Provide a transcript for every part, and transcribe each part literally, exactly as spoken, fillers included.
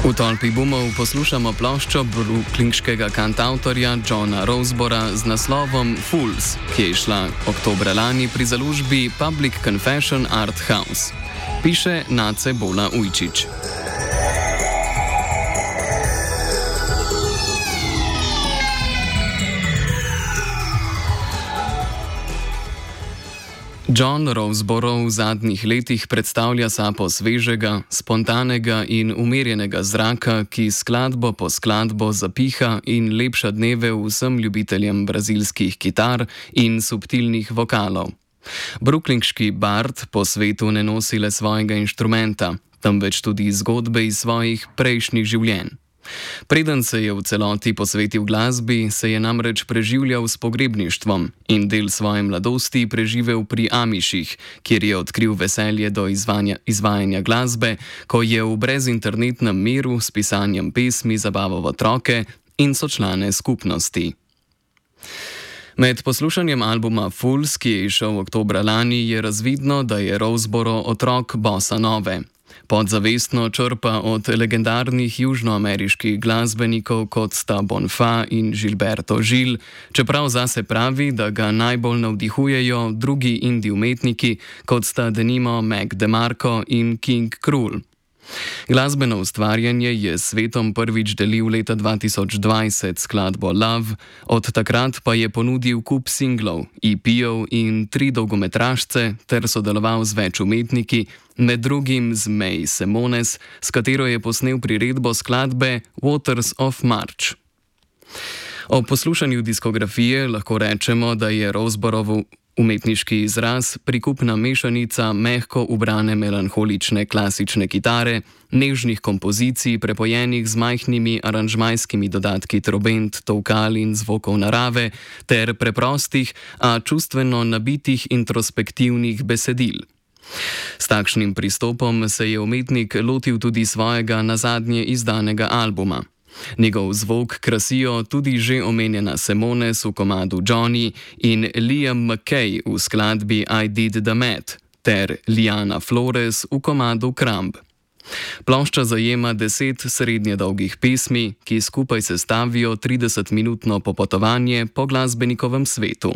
V tolpi bumov poslušamo ploščo brooklynskega kantautorja Johna Rosebora z naslovom Fools, ki je šla oktobra lani pri založbi Public Confession Art House. Piše Nace Bola Ujčič. John Roseborough v zadnjih letih predstavlja sapo svežega, spontanega in umirjenega zraka, ki skladbo po skladbo zapiha in lepša dneve vsem ljubiteljem brazilskih kitar in subtilnih vokalov. Brooklynski bard po svetu ne nosi le svojega inštrumenta, temveč tudi zgodbe iz svojih prejšnjih življenj. Preden se je v celoti posvetil glasbi, se je namreč preživljal s pogrebništvom in del svoje mladosti preživel pri Amiših, kjer je odkril veselje do izvanja, izvajanja glasbe, ko je v brezinternetnem miru s pisanjem pesmi zabaval otroke in sočlane skupnosti. Med poslušanjem albuma Fools, ki je izšel oktobra lani, je razvidno, da je Roseborough otrok bossa nove. Podzavestno črpa od legendarnih južnoameriških glasbenikov, kot sta Bonfa in Gilberto Gil, čeprav zase pravi, da ga najbolj navdihujejo drugi indie umetniki, kot sta denimo Mac DeMarco in King Krul. Glasbeno ustvarjanje je s svetom prvič delil leta dva tisoč dvajset skladbo Love, od takrat pa je ponudil kup singlov, E P-ov in tri dolgometražce ter sodeloval z več umetniki, med drugim z May Semones, s katero je posnel priredbo skladbe Waters of March. O poslušanju diskografije lahko rečemo, da je Roseborough umetniški izraz prikupna mešanica mehko ubrane melanholične klasične kitare, nežnih kompozicij prepojenih z majhnimi aranžmajskimi dodatki trobent, tolkal in zvokov narave ter preprostih, a čustveno nabitih introspektivnih besedil. S takšnim pristopom se je umetnik lotil tudi svojega nazadnje izdanega albuma. Njegov zvok krasijo tudi že omenjena Semones v komadu Johnny in Liam McKay v skladbi I Did the Math ter Liana Flores v komadu Crumb. Plošča zajema deset srednje dolgih pesmi, ki skupaj sestavijo tridesetminutno popotovanje po glasbenikovem svetu.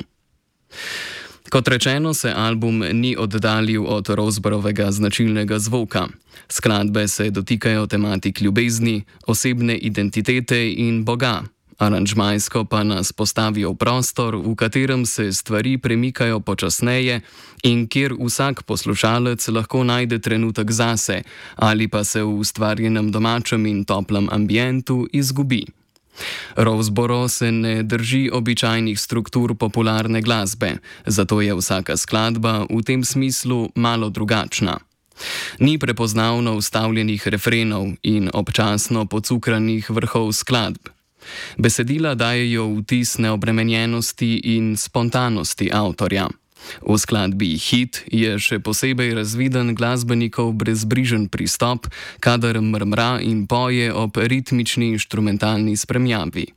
Kot rečeno, se album ni oddaljil od Roseboroughvega značilnega zvoka. Skladbe se dotikajo tematik ljubezni, osebne identitete in Boga, aranžmajsko pa nas postavijo v prostor, v katerem se stvari premikajo počasneje in kjer vsak poslušalec lahko najde trenutek zase ali pa se v ustvarjenem domačem in toplem ambientu izgubi. Roseborough se ne drži običajnih struktur popularne glasbe, zato je vsaka skladba v tem smislu malo drugačna. Ni prepoznavno vstavljenih refrenov in občasno pocukranih vrhov skladb. Besedila dajejo vtis neobremenjenosti in spontanosti avtorja. V skladbi Hit je še posebej razviden glasbenikov brezbrižen pristop, kadar mrmra in poje ob ritmični inštrumentalni spremljavi.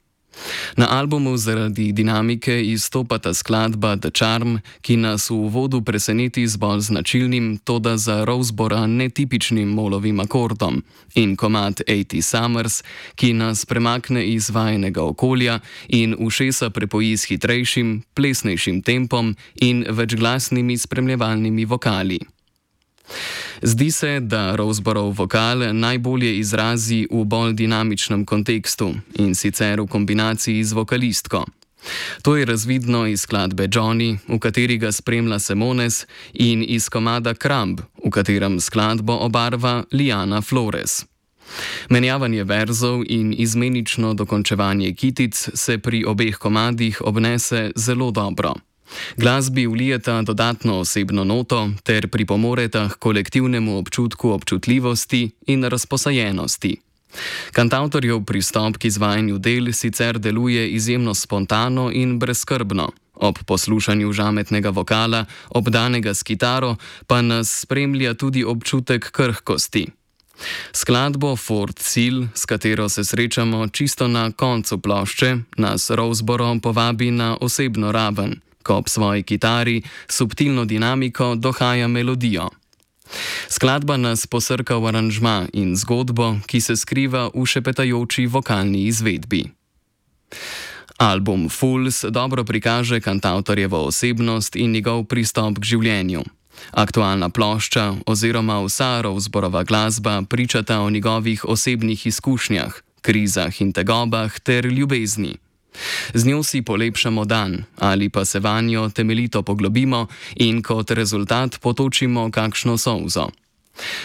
Na albumu zaradi dinamike izstopata skladba The Charm, ki nas v uvodu preseneti z bolj značilnim, toda za Roseboroughra netipičnim molovim akordom, in komad osemdeset Summers, ki nas premakne iz vajenega okolja in ušesa prepoji s hitrejšim, plesnejšim tempom in večglasnimi spremljevalnimi vokali. Zdi se, da Roseborough vokal najbolje izrazi v bolj dinamičnem kontekstu in sicer v kombinaciji z vokalistko. To je razvidno iz skladbe Johnny, v kateri ga spremlja Semones, in iz komada Crumb, v katerem skladbo obarva Liana Flores. Menjavanje verzov in izmenično dokončevanje kitic se pri obeh komadih obnese zelo dobro. Glasbi vlijeta dodatno osebno noto ter pripomoreta k kolektivnemu občutku občutljivosti in razposajenosti. Kantavtorjev pristop k izvajanju del sicer deluje izjemno spontano in brezskrbno. Ob poslušanju žametnega vokala, obdanega s kitaro, pa nas spremlja tudi občutek krhkosti. Skladbo Fourth Seal, s katero se srečamo čisto na koncu plošče, nas Roseborough povabi na osebno raven, ko ob svoji kitari subtilno dinamiko dohaja melodijo. Skladba nas posrka v aranžma in zgodbo, ki se skriva v šepetajoči vokalni izvedbi. Album Fools dobro prikaže kantavtorjevo osebnost in njegov pristop k življenju. Aktualna plošča oziroma vsa Roseborova glasba pričata o njegovih osebnih izkušnjah, krizah in tegobah ter ljubezni. Z njo si polepšamo dan ali pa se vanjo temeljito poglobimo in kot rezultat potočimo kakšno solzo.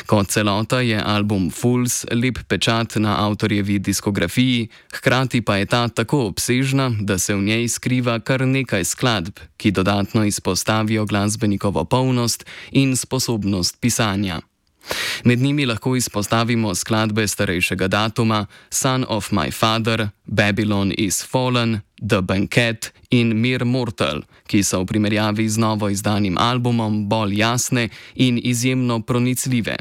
Kot celota je album Fools lep pečat na avtorjevi diskografiji, hkrati pa je ta tako obsežna, da se v njej skriva kar nekaj skladb, ki dodatno izpostavijo glasbenikovo polnost in sposobnost pisanja. Med njimi lahko izpostavimo skladbe starejšega datuma Son of My Father, Babylon is Fallen, The Banquet in Mere Mortal, ki so v primerjavi z novo izdanim albumom bolj jasne in izjemno pronicljive.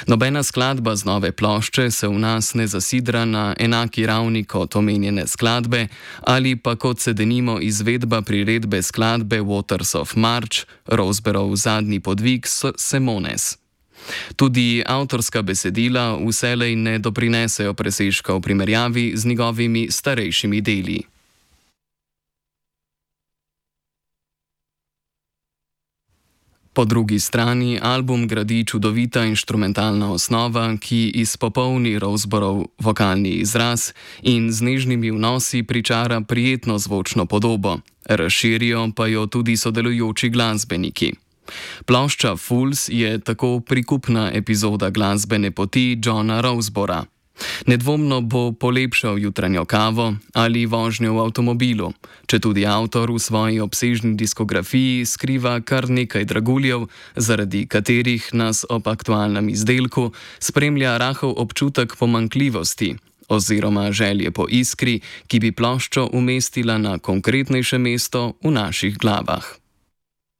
Nobena skladba z nove plošče se v nas ne zasidra na enaki ravni kot omenjene skladbe ali pa kot se denimo izvedba priredbe skladbe Waters of March, Roseborov zadnji podvig Semones. Tudi avtorska besedila vselej ne doprinesejo presežka v primerjavi z njegovimi starejšimi deli. Po drugi strani album gradi čudovita inštrumentalna osnova, ki izpopolni Roseborov vokalni izraz in z nežnimi vnosi pričara prijetno zvočno podobo, razširijo pa jo tudi sodelujoči glasbeniki. Plošča Fools je tako prikupna epizoda glasbene poti Johna Rosebora. Nedvomno bo polepšal jutranjo kavo ali vožnjo v avtomobilu, četudi avtor v svoji obsežni diskografiji skriva kar nekaj draguljev, zaradi katerih nas ob aktualnem izdelku spremlja rahel občutek pomanjkljivosti oziroma želje po iskri, ki bi ploščo umestila na konkretnejše mesto v naših glavah.